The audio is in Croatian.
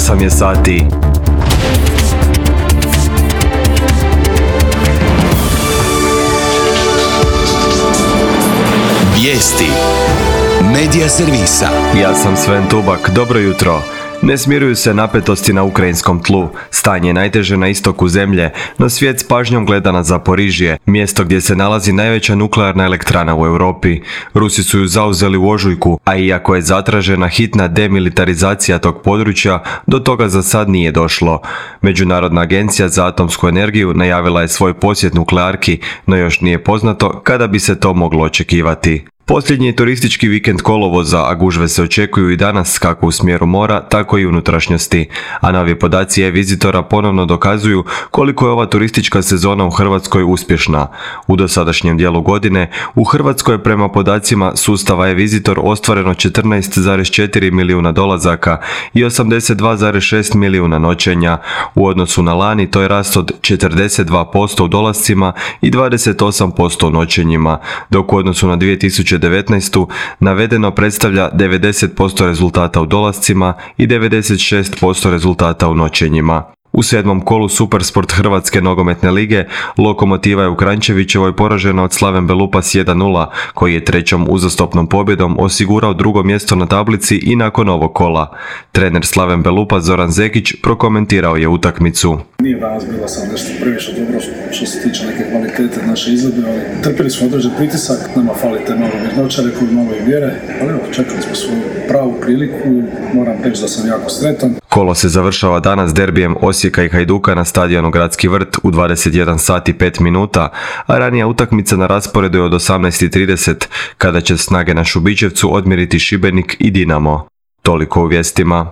8 je sati. Vijesti Medija servisa. Ja sam Sven Tubak, dobro jutro. Ne smiruju se napetosti na ukrajinskom tlu. Stanje je najteže na istoku zemlje, no svijet s pažnjom gleda na Zaporižje, mjesto gdje se nalazi najveća nuklearna elektrana u Europi. Rusi su ju zauzeli u ožujku, a iako je zatražena hitna demilitarizacija tog područja, do toga za sad nije došlo. Međunarodna agencija za atomsku energiju najavila je svoj posjet nuklearki, no još nije poznato kada bi se to moglo očekivati. Posljednji je turistički vikend kolovoza, a gužve se očekuju i danas kako u smjeru mora, tako i unutrašnjosti. A novi podaci e-vizitora ponovno dokazuju koliko je ova turistička sezona u Hrvatskoj uspješna. U dosadašnjem dijelu godine u Hrvatskoj je prema podacima sustava e-vizitor ostvareno 14,4 milijuna dolazaka i 82,6 milijuna noćenja. U odnosu na lani to je rast od 42% u dolascima i 28% u noćenjima, dok u odnosu na 2019. navedeno predstavlja 90% rezultata u dolascima i 96% rezultata u noćenjima. U 7. kolu Supersport Hrvatske nogometne lige Lokomotiva je u Kranjčevićevoj poražena od Slaven Belupas 1:0, koji je trećom uzastopnom pobjedom osigurao drugo mjesto na tablici i nakon ovog kola. Trener Slaven Belupas Zoran Zekić prokomentirao je utakmicu. Nije danas bila sam nešto previše dobro što se tiče neke kvalitete naše izvedbe, ali trpili smo određen pritisak, nama falite malo mirnoća, rekao bi malo i vjere, ali evo, čekali smo svoju pravu priliku i moram reći da sam jako sretan. Kolo se završava danas derbijem Osijeka i Hajduka na stadionu Gradski vrt u 21 sat i 5 minuta, a ranija utakmica na rasporedu je od 18:30 kada će snage na Šubićevcu odmjeriti Šibenik i Dinamo. Toliko u vijestima.